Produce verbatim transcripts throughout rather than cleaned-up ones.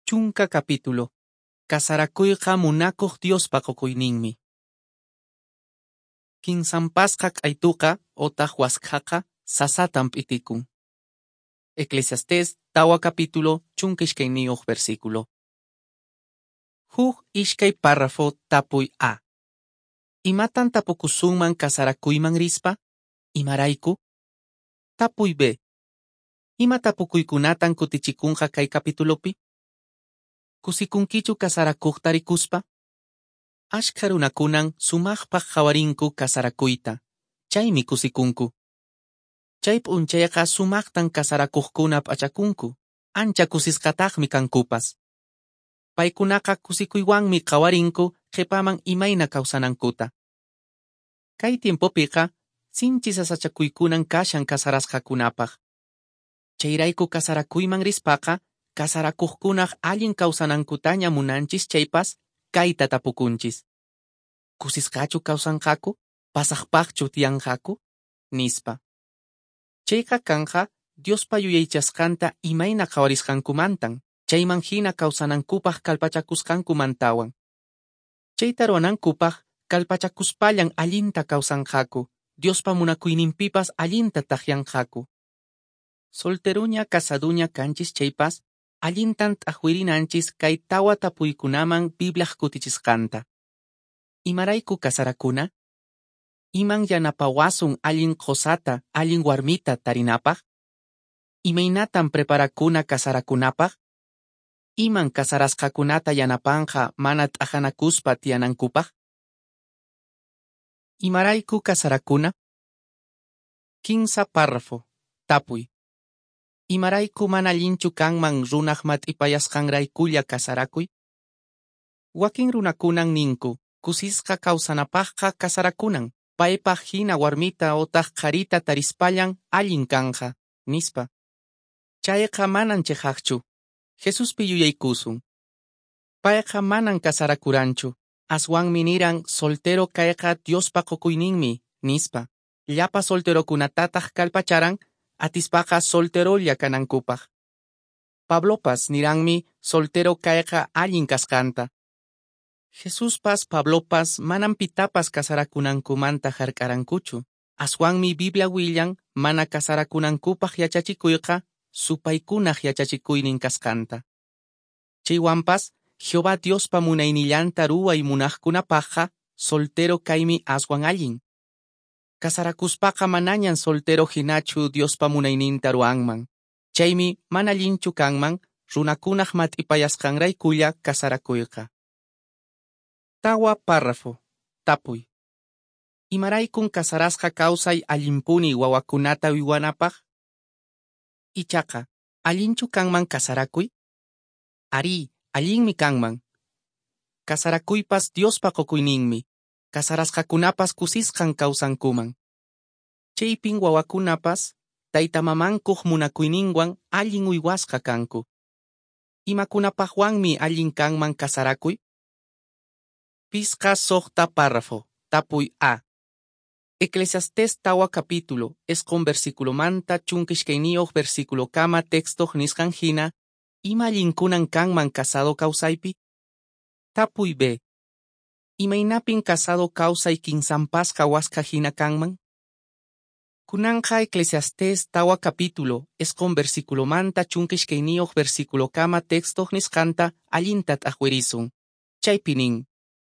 Chunka capítulo. Kasarakuyqa munakuq Diospa qukuyninmi. Kinsanpasqa q'aytuqa otaq waskhaqa sasatan p'itikun. Eclesiastés tawa capítulo chunka iskayniyuq versículo. Huk iskay párrafo tapuy A. Imatan tapukusunman kasarakuyman rispa? Imarayku? Tapuy B. Ima tapukuykunatan kutichikunqa kay capitulopi? Kusikunkichu kasarakuqta rikuspa? Ashkha runakunan sumaqpaq qhawarinku kasarakuyta, chaymi kusikunku. Chay p'unchayqa sumaqtan kasarakuqkuna p'achakunku, ancha kusisqataqmi kankupas. Paykunaqa kusikuywanmi qhawarinku qhipaman imayna kawsanankuta. Kay tiempopiqa sinchi sasachakuykunan kashan kasarasqakunapaq. Chayrayku kasarakuyman rispaqa kasarakuqkunaq allin kawsanankutaña munanchis chaypas kayta tapukunchis. Kusisqachu kawsanqaku? Pasaqpaqchu tiyanqaku? Nispa. Chayqa kanqa Diospa yuyaychasqanta imayna qhawarisqankumantan, chayman hina kawsanankupaq kallpachakusqankumantawan. Chayta ruwanankupaq kallpachakuspallan allinta kawsanqaku, Diospa munakuyninpipas allinta takyanqaku. Solteruña casaduña kanchis chaypas, allintan t'aqwirinanchis kay tawa tapuykunaman Bibliaq kutichisqanta. Imarayku kasarakuna? Iman yanapawasun allin qosata, allin warmita tarinapaq? Imaynatan preparakuna kasarakunapaq? Iman kasarasqakunata yanapanqa mana t'aqanakuspa tiyanankupaq? Imarayku kasarakuna? Kinsa párrafo. Tapuy. Imarayku mana allinchu kanman runaq mat'ipayasqanraykulla kasarakuy? Wakin runakunan ninku, kusisqa kawsanapaqqa kasarakunan, paypaq hina warmita otaq qharita tarispallan allin kanqa, nispa. Chayqa manan chiqaqchu. Jesuspi yuyaykusun. Payqa manan kasarakuranchu, aswanmi niran soltero kayqa Diospa qukuyninmi, nispa. Llapa solterokunatataq kallpacharan, atispaqa solterolla kanankupaq. Pablopas niranmi soltero kayqa allin kasqanta. Jesuspas Pablopas manan pitapas kasarakunankumanta hark'arankuchu. Aswanmi Biblia willan mana kasarakunankupaq yachachikuyqa supaykunaq yachachikuynin kasqanta. Chaywanpas Jehová Diospa munaynillanta ruway munaqkunapaqqa soltero kaymi aswan allin. Kasarakuspaqa manañan soltero hinachu Diospa munayninta ruwanman. Chaymi mana allinchu kanman runakunaq mat'ipayasqanraykulla kasarakuyqa. Tawa párrafo. Tapuy. Imaraykun kasarasqa kawsay allinpuni wawakunata uywanapaq? Ichaqa, allinchu kanman kasarakuy? Arí, allinmi kanman. Kasarakuypas Diospa qukuyninmi. Kasarasqakunapas kusisqan kawsankuman. Chaypin wawakunapas taytamamankuq munakuyninwan allin uywasqa kanku. Imakunapaqwanmi allin kanman kasarakuy? Pisqa suqta párrafo. Tapuy A. Eclesiastés tawa capítulo, isqun versículomanta chunka iskayniyuq versículokama textoq nisqan hina, ima allinkunan kanman casado kawsaypi? Tapuy B. Imaynapin casado kawsay kinsanpasqa waskha hina kanman? Kunanqa Eclesiastés tawa capítulo, isqun versículomanta chunka iskayniyuq versículokama textoq nisqanta allinta t'aqwirisun. Chaypi nin,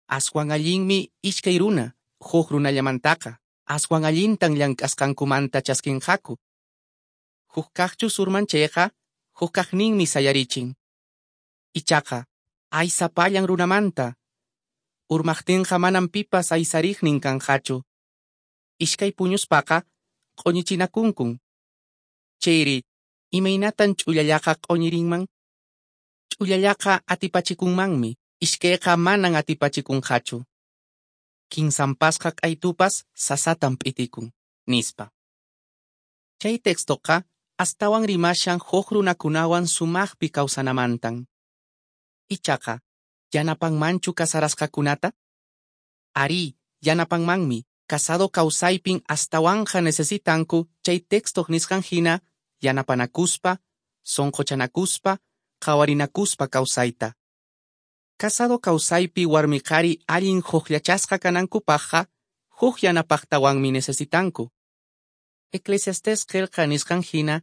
aswan allinmi iskay runa, huk runallamantaqa, aswan allintan llank'asqankumanta chaskinqaku. Huk kaqchus urman chayqa, huk kaqninmi sayarichin. Ichaqa, ay sapallan runamanta. Urmaqtinqa manan pipas aysariqnin kanqachu. Iskay puñuspaqa q'uñichinakunkun. Chayri, imaynatan ch'ullallaqa q'uñirinman? Ch'ullallaqa atipachikunmanmi, iskayqa manan atipachikunqachu. Kinsanpasqa q'aytupas sasatan p'itikun, nispa. Chay textoqa astawan rimashan huk runakunawan sumaqpi kawsanamantan. Ichaqa, yanapanmanchu kasarasqakunata? Arí, yanapanmanmi. Casado kawsaypin astawanqa necesitanku chay textoq nisqan hina yanapanakuspa, sunquchanakuspa, qhawarinakuspa kawsayta. Casado kawsaypi warmi qhari allin hukllachasqa kanankupaqqa huk yanapaqtawanmi necesitanku. Eclesiastés qillqa nisqan hina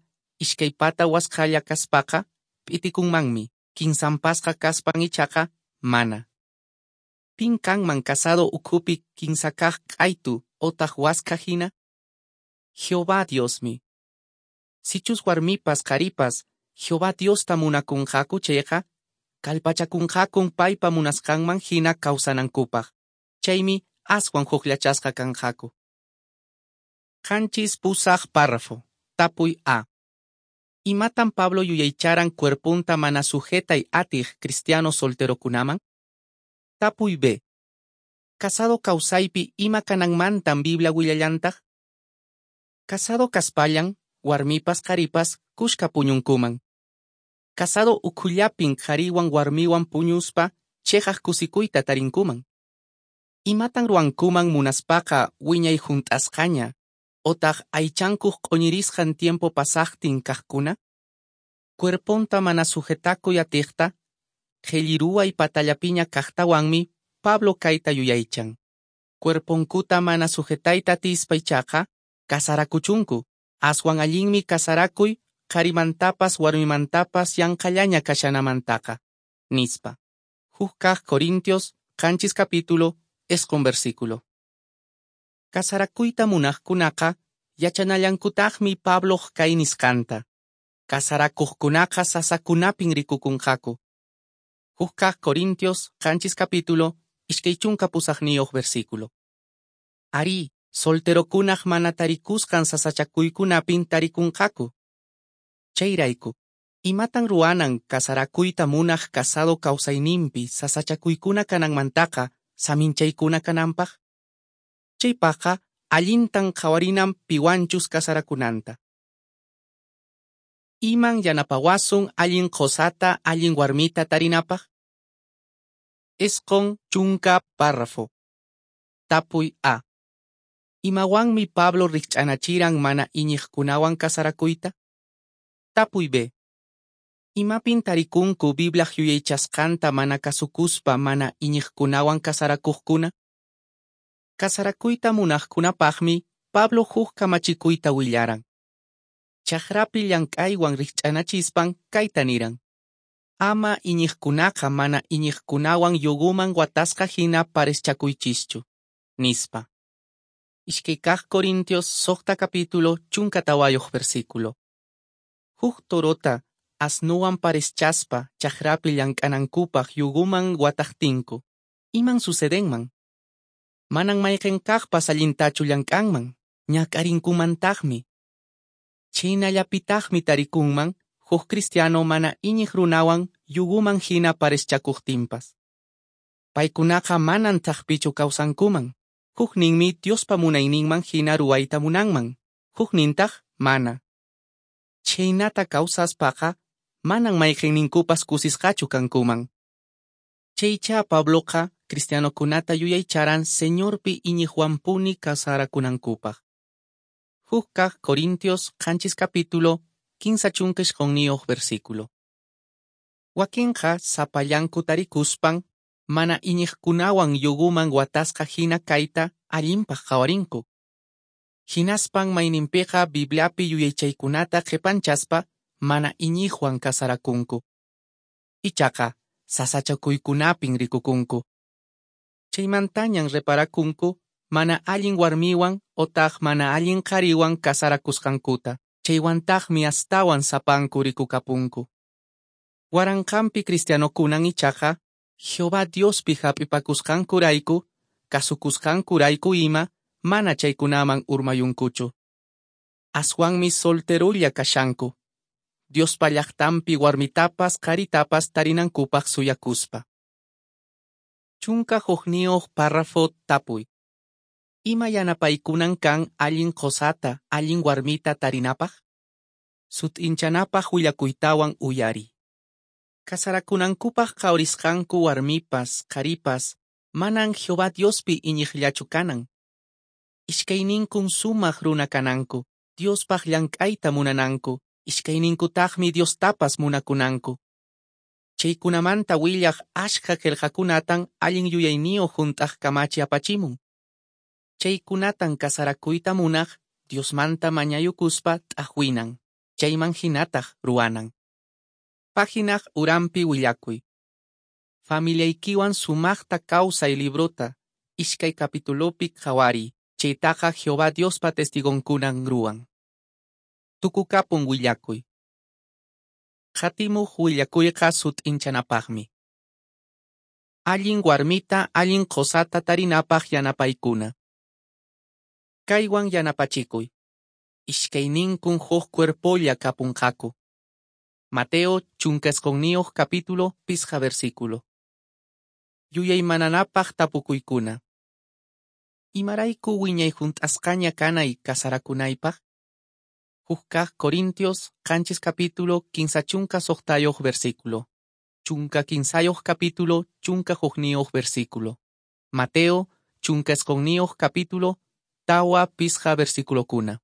iskay pata waskhalla kaspaqa p'itikunmanmi, kinsanpasqa kaspan ichaqa mana. Pin kanman casado ukhupi kinsa kaq q'aytu otaq waskha hina? Jehová Diosmi. Sichus warmipas qharipas Jehová Diosta munakunqaku chayqa, kallpachakunqakun paypa munasqanman hina kawsanankupaq. Chaymi aswan hukllachasqa kanqaku. Qanchis pusaq párrafo. Tapuy A. Imatan Pablo yuyaycharan cuerpunta mana sujetay atiq cristiano solterokunaman? Tapuy B. Casado kawsaypi ima kananmantan Biblia willallantaq? Casado kaspallan, warmipas qharipas kushka puñunkuman. Casado ukhullapin qhariwan warmiwan puñuspa cheqaq kusikuyta tarinkuman. Imatan ruwankuman munaspaqa wiñay hunt'asqaña, otaq aychankuq q'uñirisqan tiempo pasaqtin kaqkuna? Cuerponta mana sujetakuy atiqta, qhelliruway patallapiña kaqtawanmi Pablo kayta yuyaychan. Cuerponkuta mana sujetayta atispa ichaqa, kasarakuchunku, aswan allinmi kasarakuy qharimantapas warmimantapas yanqallaña kashanamantaqa, nispa. Huk kaq Corintios, qanchis capítulo, isqun versículo. Kasarakuyta munaqkunaqa yachanallankutaqmi Pabloq kay nisqanta. Kasarakuqkunaqa sasakunapin rikukunqaku. Huk kaq Corintios, qanchis capítulo, iskay chunka pusaqniyuq versículo. Arí, solterokunaq mana tarikusqan sasachakuykunapin tarikunqaku. Chayrayku, imatan ruwanan kasarakuyta munaq casado kawsayninpi sasachakuykuna kananmantaqa saminchaykuna kananpaq? Chaypaqqa allintan qhawarinan piwanchus kasarakunanta. Iman yanapawasun allin qosata allin warmita tarinapaq? Isqun chunka párrafo. Tapuy A. Imawanmi Pablo rikch'anachiran mana iñiqkunawan kasarakuyta? Tapuy B. Imapin tarikunku Bibliaq yuyaychasqanta mana kasukuspa mana iñiqkunawan kasarakuqkuna? Kasarakuyta munaqkunapaqmi Pablo huk kamachikuyta willaran. Chakrapi llank'aywan rikch'anachispan kayta niran. Ama iñiqkunaqa mana iñiqkunawan yuguman watasqa hina pareschakuychischu, nispa. Iskay kaq Corintios suqta capítulo chunka tawayuq versículo. Huk torota asnuwan pareschaspa chakrapi llank'anankupaq yuguman wataqtinku. Iman sucedenman? Manan mayqin kaqpas allintachu llank'anman, ñak'arinkumantaqmi. Chhaynallapitaqmi tarikunman huk cristiano mana iñiq runawan yuguman hina pareschakuqtinpas. Paykunaqa manan thakpichu kawsankuman. Hukninmi Diospa munayninman hina ruwayta munanman, huknintaq mana. Chhaynata kawsaspaqa manan mayqinninkupas kusisqachu kankuman. Chaycha Pabloqa cristianokunata yuyaycharan Señorpi iñiqwanpuni kasarakunankupaq. Huk kaq Corintios qanchis capítulo, kinsa chunka isqunniyuq versículo. Wakinqa sapallanku tarikuspan mana iñiqkunawan yuguman watasqa hina kayta allinpaq qhawarinku. Hinaspan mayninpiqa Bibliapi yuyaychaykunata qhipanchaspa mana iñiqwan kasarakunku. Ichaqa sasachakuykunapin rikukunku. Chaymantañan reparakunku mana allin warmiwan otaq mana allin qhariwan kasarakusqankuta. Chaywantaqmi astawan sapanku rikukapunku. Waranqanpi cristianokunan ichaqa Jehová Diospi hap'ipakusqankurayku, kasukusqankurayku ima mana chaykunaman urmayunkuchu. Aswanmi solterulla kashanku, Diospa llaqtanpi warmitapas qharitapas tarinankupaq suyakuspa. Chunka hukniyuq párrafo tapuy. Ima yanapaykunan kan allin qosata, allin warmita tarinapaq? Sut'inchanapaq willakuytawan uyari. Kasarakunankupaq qhawrisqanku warmipas, qharipas, manan Jehová Diospi iñiqllachu kanan. Iskayninkun sumaq runa kananku, Diospaq llank'ayta munananku, iskayninkutaqmi Diostapas munakunanku. Chaykunamanta willaq askha qelqakunatan allin yuyayniyoq hunt'aq kamachi apachimun. Chaykunatan casarakuyta munaq Diosmanta mañayukuspa t'aqwinan, chayman hinataq ruwanan. Páginaq uranpi willakuy. Familiaykiwan sumaqta kawsay librota, iskay capitulopi qhawariy, chaytaqa Jehová Diospa testigonkunan ruwan. Tukukapun willakuy. Qatimuq willakuyqa sut'inchanapaqmi. Allin warmita, allin qosata tarinapaq yanapaykuna. Kaywan yanapachikuy. Iskayninkun huk cuerpolla kapunqaku. Mateo chunka isqunniyuq capítulo pisqa versículo. Yuyaymananapaq tapukuykuna. Imarayku wiñay hunt'asqaña kanay kasarakunaypaq? Huk kaq Corintios qanchis capítulo kinsa chunka suqtayuq versículo. Chunka kinsayuq capítulo chunka hukniyuq versículo. Mateo chunka isqunniyuq capítulo tawa pisqa versiculokuna.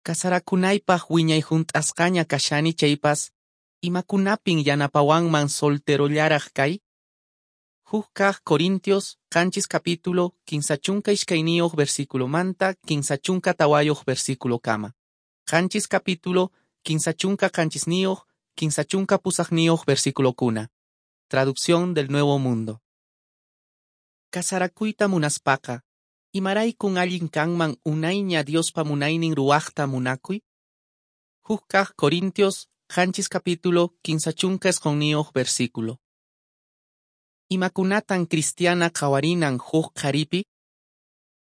Kasarakunaypaq wiñay hunt'asqaña kashani chaypas, imakunapin yanapawanman solterollaraq kay? Huk kaq Corintios qanchis capítulo kinsa chunka iskayniyuq versículomanta kinsa chunka tawayuq versículokama. Qanchis capítulo kinsa chunka qanchisniyuq kinsa chunka pusaqniyuq versiculokuna. Traducción del Nuevo Mundo. Kasarakuyta munaspaqa, imaraykun allin kanman unayña Diospa munaynin ruwaqta munakuy? Huk kaq Corintios qanchis capítulo kinsa chunka isqunniyuq versículo. Imakunatan cristiana qhawarinan huk qharipi?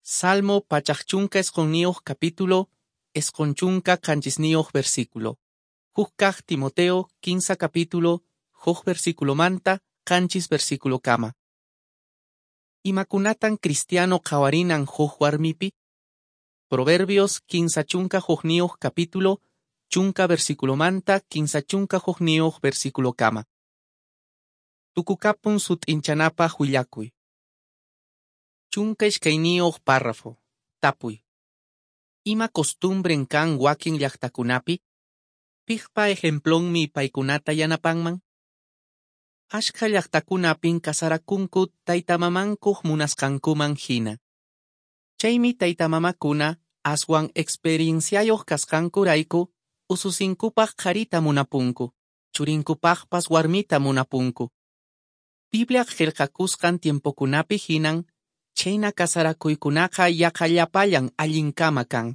Salmo pachak chunka isqunniyuq capítulo isqun chunka qanchisniyuq versículo. Huk kaq Timoteo kinsa capítulo huk versículomanta qanchis versiculokama. Imakunatan cristiano qhawarinan huk warmipi? Proverbios kinsa chunka hukniyuq capítulo chunka versiculomanta kinsa chunka hukniyuq versiculokama. Tukukapun sut'inchanapaq willakuy. Chunka iskayniyuq párrafo. Tapuy. Ima costumbren kan wakin llaqtakunapi? Piqpa ejemplonmi paykunata yanapanman? Askha llaqtakunapin kasarakunku taytamamankuq munasqankuman hina. Chaymi taytamamakuna aswan experienciayuq kasqankurayku ususinkupaq qharita munapunku, churinkupaqpas warmita munapunku. Bibliaq qillqakusqan tiempokunapi hinan, chayna kasarakuykunaqa yaqa llapallan allinkama kan.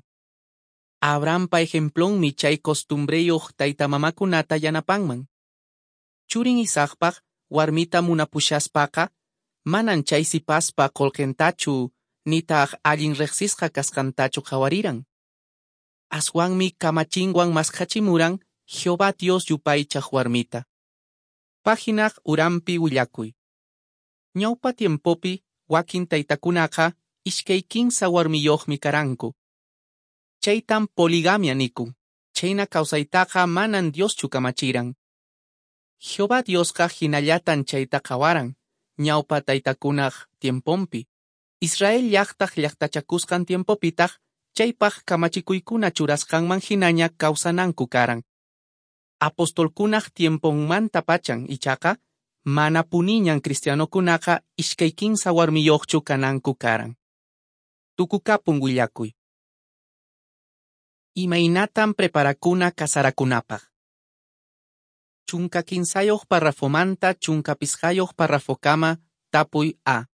Abrahampa ejemplonmi chay costumbreyuq taytamamakunata yanapanman. Churin Isaacpaq warmita munapushaspaqa, manan chay sipaspa qullqintachu nitaq allin riqsisqa kasqantachu qhawariran. Aswanmi kamachinwan maskhachimuran Jehová Dios yupaychaq warmita. Páginaq uranpi willakuy. Ñawpa tiempopi wakin taytakunaqa iskay kinsa warmiyuqmi karanku. Chaytan poligamia nikun. Chayna kawsaytaqa manan Dioschu kamachiran. Jehová Diosqa hinallatan chayta qhawaran, ñawpa taytakunaq tiemponpi. Israel llaqtaq llaqtachakusqan tiempopitaq chaypaq kamachikuykuna churasqanman hinaña kawsananku karan. Apostolkunaq tiemponmanta pachan ichaqa mana puniñan cristianokunaqa iskay kinsa warmiyuqchu kananku karan. Tukukapun willakuy. Imaynatan preparakuna kasarakunapaq? Chunka kinsayuq parrafomanta chunka pisqayuq parrafokama tapuy A.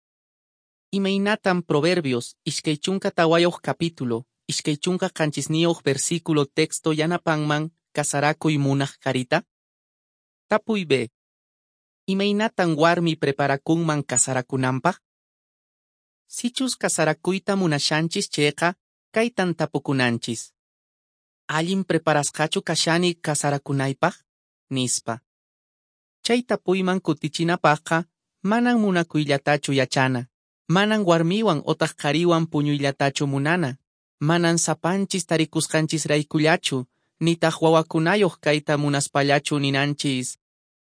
Imaynatan Proverbios iskay chunka tawayuq capítulo iskay chunka qanchisniyuq versículo texto yanapanman kasarakuy munaq qharita? Tapuy B. Imaynatan warmi preparakunman kasarakunanpaq? Sichus kasarakuyta munashanchis chayqa, kaytan tapukunanchis. Allin preparasqachu kashani kasarakunaypaq? Nispa. Chay tapuyman kutichinapaqqa manan munakuyllatachu yachana, manan warmiwan otaq qhariwan puñuyllatachu munana, manan sapanchis tarikusqanchisraykullachu, nitaq wawakunayuq kayta munaspallachu ninanchis,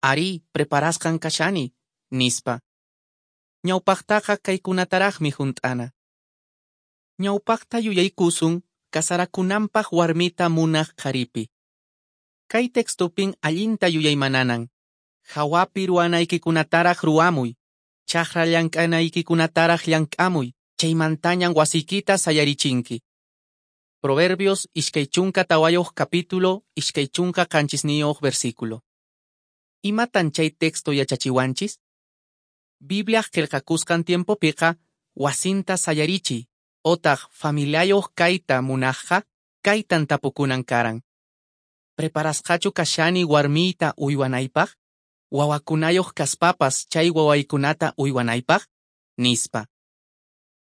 ari, preparasqan kashani, nispa. Ñawpaqtaqa kaykunataraqmi hunt'ana. Ñawpaqta yuyaykusun kasarakunanpaq warmita munaq qharipi. Kay textopin allinta yuyaymananan. Hawapi ruwanaykikunataraq ruwamuy, chakra llank'anaykikunataraq llank'amuy, chaymantañan wasiykita sayarichinki. Proverbios iskay chunka tawayuq capítulo iskay chunka qanchisniyuq versículo. Imatan chay texto yachachiwanchis? Bibliaq qillqakusqan tiempopiqa wasinta sayarichiy otaq familiayuq kayta munaqqa kaytan tapukunan karan. Preparasqachu kashani warmiyta uywanaypaq? Wawakunayuq kaspapas chay wawaykunata uywanaypaq? Nispa.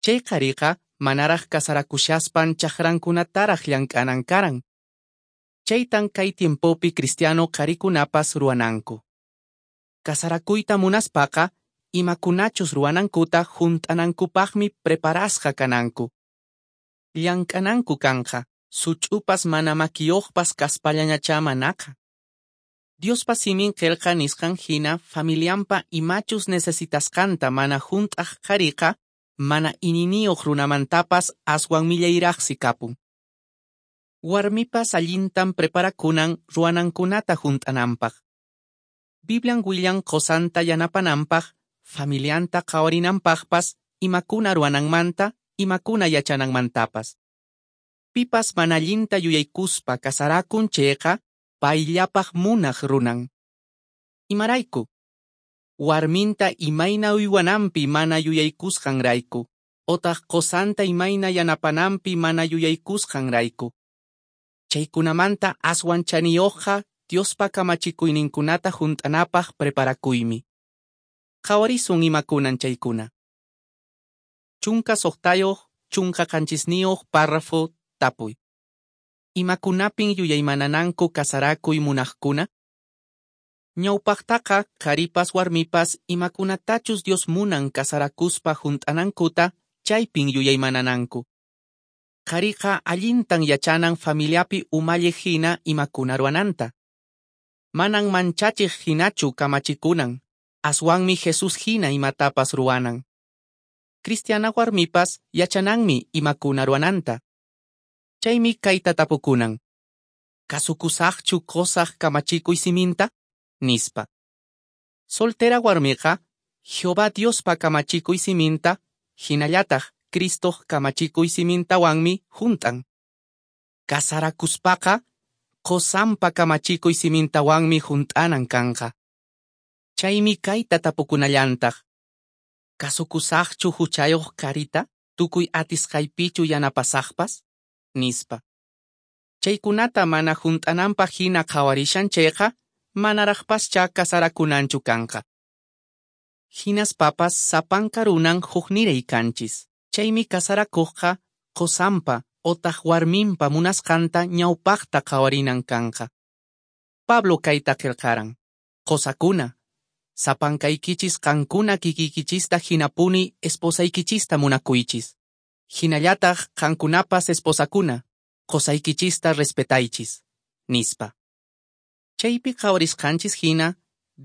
Chay qhariqa manaraq kasarakushaspan chakrankunataraq llank'anan karan. Chaytan kay tiempopi cristiano qharikunapas ruwananku. Kasarakuyta munaspaqa imakunachus ruwanankuta hunt'anankupaqmi preparasqa kananku. Llank'ananku kanqa, such'upas mana makiyuqpas kaspallañachá manaqa. Diospa simin qillqa nisqan hina familianpa imachus necesitasqanta mana hunt'aq qhariqa mana iñiniyuq runamantapas aswan millayraqsi kapun. Warmipas allintan preparakunan ruwanankunata hunt'ananpaq. Biblian willan qusanta yanapananpaq, familianta qhawarinanpaqpas imakuna ruwananmanta, imakuna yachananmantapas. Pipas mana allinta yuyaykuspa kasarakun chayqa, payllapaq munaq runan. Imarayku? Warminta imayna uywananpi mana yuyaykusqanrayku, otaq qusanta imayna yanapananpi mana yuyaykusqanrayku. Chaykunamanta aswan chaniyuqqa Diospa kamachikuyninkunata hunt'anapaq preparakuymi. Qhawarisun imakunan chaykuna. Chunka suqtayuq, chunka qanchisniyuq párrafo tapuy. Imakunapin yuyaymanananku kasarakuy munaqkuna? Ñawpaqtaqa qharipas warmipas imakunatachus Dios munan kasarakuspa hunt'anankuta chaypin yuyaymanananku. Qhariqa allintan yachanan familiapi umalliq hina imakuna ruwananta. Manan manchachiq hinachu kamachikunan, aswanmi Jesus hina imatapas ruwanan. Cristiana warmipas yachananmi imakuna ruwananta. Chaymi kayta tapukunan. Kasukusaqchu qusaq kamachikuy siminta? Nispa. Soltera warmiqa Jehová Diospa kamachikuy siminta, hinallataq Cristoq kamachikuy simintawanmi hunt'an. Kasarakuspaqa qusanpa kamachikuy simintawanmi hunt'anan kanqa. Chaymi kayta tapukunallantaq. Kasukusaqchu huchayuq qharita, tukuy atisqaypichu yanapasaqpas? Nispa. Chaykunata mana hunt'ananpaq hina qhawarishan chayqa, manaraqpaschá kasarakunanchu kanqa. Hinaspapas sapanka runan hukniray kanchis. Chaymi kasarakuqqa qusanpa otaq warminpa munasqanta ñawpaqta qhawarinan kanqa. Pablo kayta qillqaran. Qusakuna, sapankaykichis qankuna kikiykichista hinapuni esposaykichista munakuychis. Hinallataq qankunapas esposakuna, qusaykichista respetaychis. Nispa. Chaypi qhawarisqanchis hina,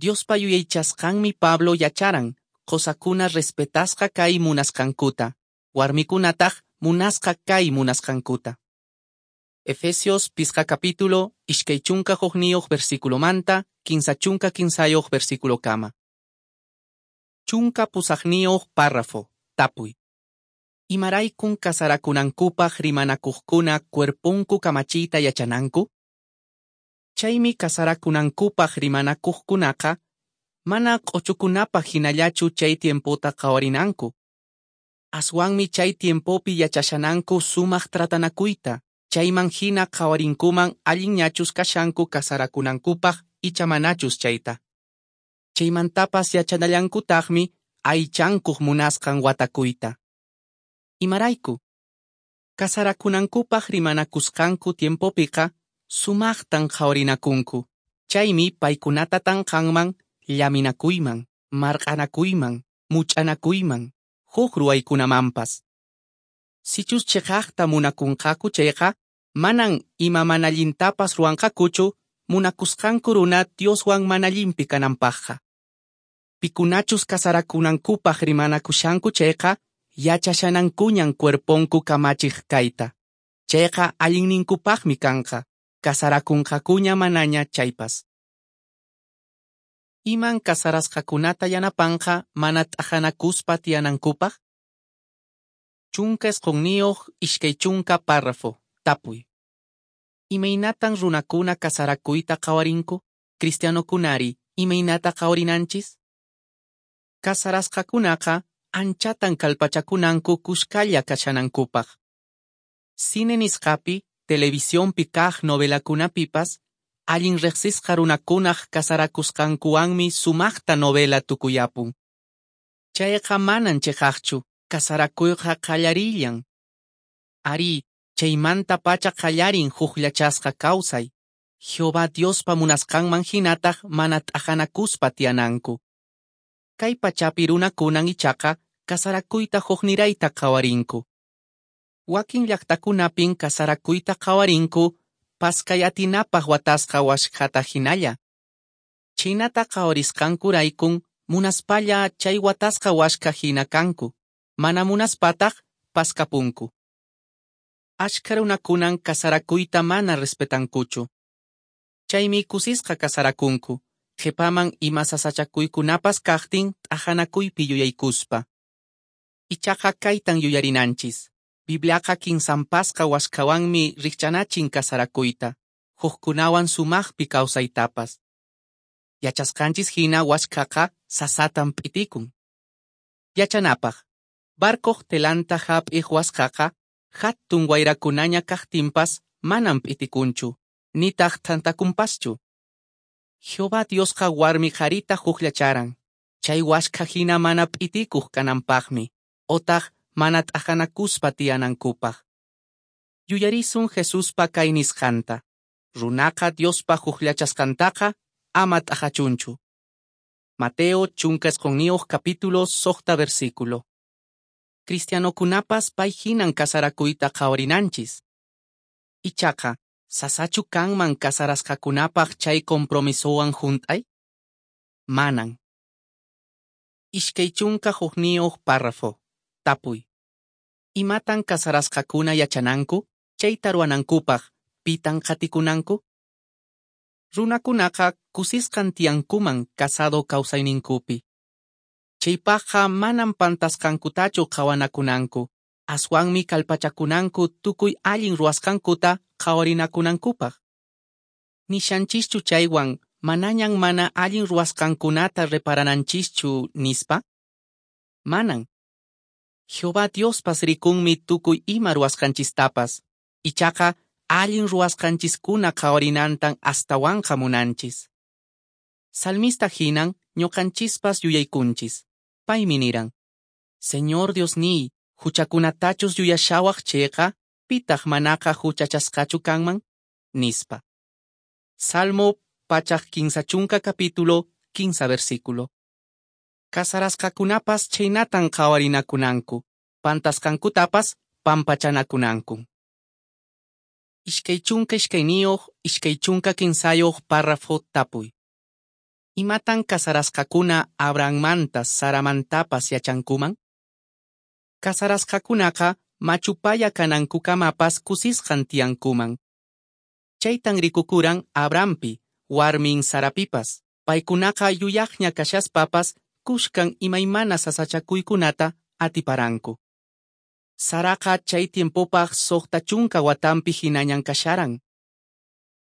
Diospa yuyaychasqanmi Pablo yacharan, qusakuna respetasqa kay munasqankuta, warmikunataq munasqa kay munasqankuta. Efesios pisqa capítulo, iskay chunka hukniyuq versículomanta, kinsa chunka kinsayuq versículokama. Chunka pusaqniyuq párrafo, tapuy. Imaraykun kasarakunankupaq rimanakuqkuna cuerponku kamachiyta yachananku? Chaymi kasarakunankupaq rimanakuqkunaqa mana q'uchukunapaq hinallachu chay tiempota qhawarinanku. Aswanmi chay tiempopi yachashananku sumaq tratanakuyta, chayman hina qhawarinkuman allinñachus kashanku kasarakunankupaq icha manachus chayta. Chaymantapas yachanallankutaqmi aychankuq munasqan watakuyta. Imarayku? Kasarakunankupaq rimanakusqanku tiempopiqa sumaqtan qhawarinakunku. Chaymi paykunata tanqanman llaminakuyman, marq'anakuyman, much'anakuyman, huk ruwaykunamanpas. Sichus chiqaqta munakunqaku chayqa, manan ima mana allintapas ruwanqakuchu munakusqanku runa Dioswan mana allinpi kananpaqqa. Pikunachus kasarakunankupaq rimanakushanku chayqa, yachashanankuñan cuerponku kamachiq kayta. Chayqa allinninkupaqmi kanqa, kasarakunqakuña manaña chaypas. Iman casarasqakunata yanapanqa mana t'aqanakuspa tiyanankupaq? Chunka isqunniyuq iskay chunka párrafo. Tapuy. Imaynatan runakuna casarakuyta qhawarinku? Cristianokunari, imaynata qhawarinanchis? Casarasqakunaqa anchatan kallpachakunanku kuskalla kashanankupaq. Cine nisqapi, televisionpi kaq novelakunapipas, allin riqsisqa runakunaq casarakusqankuwanmi sumaqta novela tukuyapun. Chayqa manan chiqaqchu, casarakuyqa qallarillan. Ari, chaymanta pacha qallarin hukllachasqa kawsay. Jehová Diospa munasqanman hinataq mana t'aqanakuspa tiyananku. Kay pachapi runakunan ichaqa casarakuyta huknirayta qhawarinku. Wakin llaqtakunapin casarakuyta qhawarinku paskay atinapaq watasqa waskhata hinalla. Chhaynata qhawarisqankuraykun munaspalla chay watasqa waskha hina kanku, mana munaspataq paskapunku. Ashkha runakunan casarakuyta mana respetankuchu. Chaymi kusisqa casarakunku, qhipaman ima sasachakuykunapas kaqtin t'aqanakuypi yuyaykuspa. Ichaqa kaytan yuyarinanchis. Bibliaqa kinsanpasqa waskhawanmi rikchanachin casarakuyta, hukkunawan sumaqpi kawsaytapas. Yachasqanchis hina waskhaqa sasatan p'itikun. Yachanapaq, barcoq telanta hap'iq waskhaqa hatun wayrakunaña kaqtinpas manan p'itikunchu, nitaq thantakunpaschu. Jehová Diosqa warmi qharita hukllacharan, chay waskha hina mana p'itikuq kananpaqmi, otaq mana t'aqanakuspa tiyanankupaq. Yuyarisun Jesuspa kay nisqanta, runaqa Diospa hukllachasqantaqa ama t'aqachunchu. Mateo chunka isqunniyuq capítulo suqta versículo. Cristianokunapas pay hinan casarakuyta qhawarinanchis. Ichaqa, sasachu kanman casarasqakunapaq chay compromisowan hunt'ay? Manan. Iskay chunka hukniyuq párrafo. Tapuy. Imatan casarasqakuna yachananku? Chayta ruwanankupaq, pitan qatikunanku? Runakunaqa kusisqan tiyankuman casado kawsayninkupi. Chaypaqqa manan pantasqankutachu qhawanakunanku, aswanmi kallpachakunanku tukuy allin ruwasqankuta qhawarinakunankupaq. Nishanchischu chaywan manañan mana allin ruwasqankunata reparananchischu nispa? Manan. Jehová Diospas rikunmi tukuy ima ruwasqanchistapas, ichaqa allin ruwasqanchiskuna qhawarinantan astawanqa munanchis. Salmista hinan ñuqanchispas yuyaykunchis. Paymi niran: Señor Diosniy, huchakunatachus yuyashawaq chayqa, pitaq manaqa huchachasqachu kanman? Nispa. Salmo pachak kinsa chunka capítulo kinsa versículo. Casarasqakunapas chhaynatan qhawarinakunanku, pantasqankutapas pampachanakunanku. Iskay chunka iskayniyuq, iskay chunka kinsayuq párrafo tapuy. Imatan casarasqakuna Abrahammanta Saramantapas yachankuman? Casarasqakunaqa machupaya kanankukamapas kusisqan tiyankuman. Chaytan rikukuran Abrahampi, warmin Sarapipas. Paykunaqa yuyaqña kashaspapas kuskan imaymana sasachakuykunata atiparanku. Saraqa chay tiempopaq suqta chunka watanpi hinañan kasharan.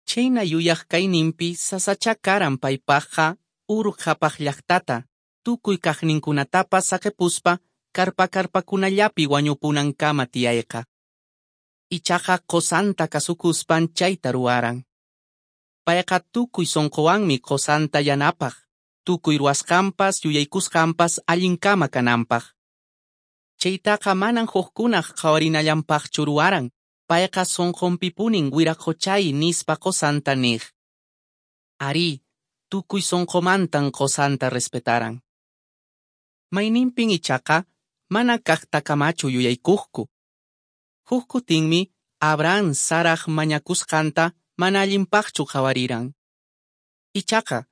Chayna yuyaq kayninpi sasacha karan paypaqqa Ur qhapaq llaqtata, tukuy kaqninkunatapas saqipuspa karpa karpakunallapi wañupunankama tiyayqa. Ichaqa qusanta kasukuspan chayta ruwaran. Payqa tukuy sunquwanmi qusanta yanapaq, tukuy ruwasqanpas yuyaykusqanpas allinkama kananpaq. Chaytaqa manan hukkunaq qhawarinallanpaqchu ruwaran, payqa sunqunpipunin wiraqochay nispa qusanta niq. Ari, tukuy sunqumantan qusanta respetaran. Mayninpin ichaqa mana kaqtakamachu yuyaykuqku. Huk kutinmi Abraham Saraq mañakusqanta mana allinpaqchu qhawariran. Ichaqa,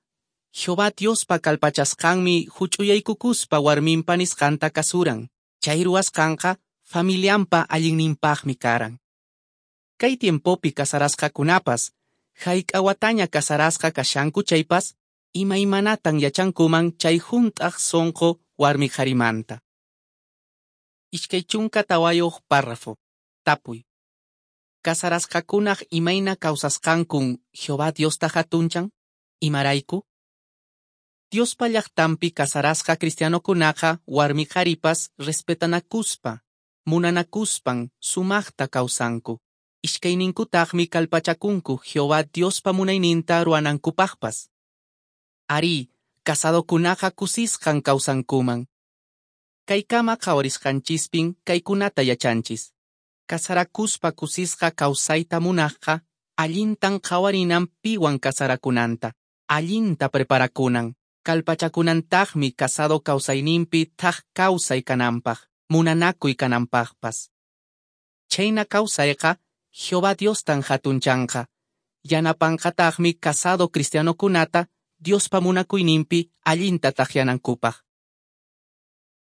Jehová Diospa kallpachasqanmi huch'uyaykukuspa warminpa nisqanta kasuran. Chay ruwasqanqa familianpa allinninpaqmi karan. Kay tiempopi casarasqakunapas, hayk'a wataña casarasqa kashanku chaypas, Imaymanatan yachankuman chay hunt'aq sonqo warmi qharimanta. Iskay chunka tawayuq párrafo. Tapuy. Casarasqakunaq imayna kawsasqankun Jehová Diosta hatunchan? Imarayku? Diospa llaqtanpi casarasqa cristianokunaqa warmi qharipas respetanakuspa, munanakuspan sumaqta kawsanku. Iskayninkutaqmi kallpachakunku Jehová Diospa munayninta ruwanankupaqpas. Arí, casadokunaqa kusisqan kawsankuman. Kaykama qhawarisqanchispin kaykunata yachanchis. Casarakuspa kusisqa kawsayta munaqqa, allintan qhawarinan piwan casarakunanta, allinta preparakunan, kallpachakunantaqmi casado kawsayninpi thak kawsay kananpaq, munanakuy kananpaqpas. Chhayna kawsayqa Jehová Diostan hatunchanqa, yanapanqataqmi casado cristianokunata Diospa munakuyninpi allinta takyanankupaq.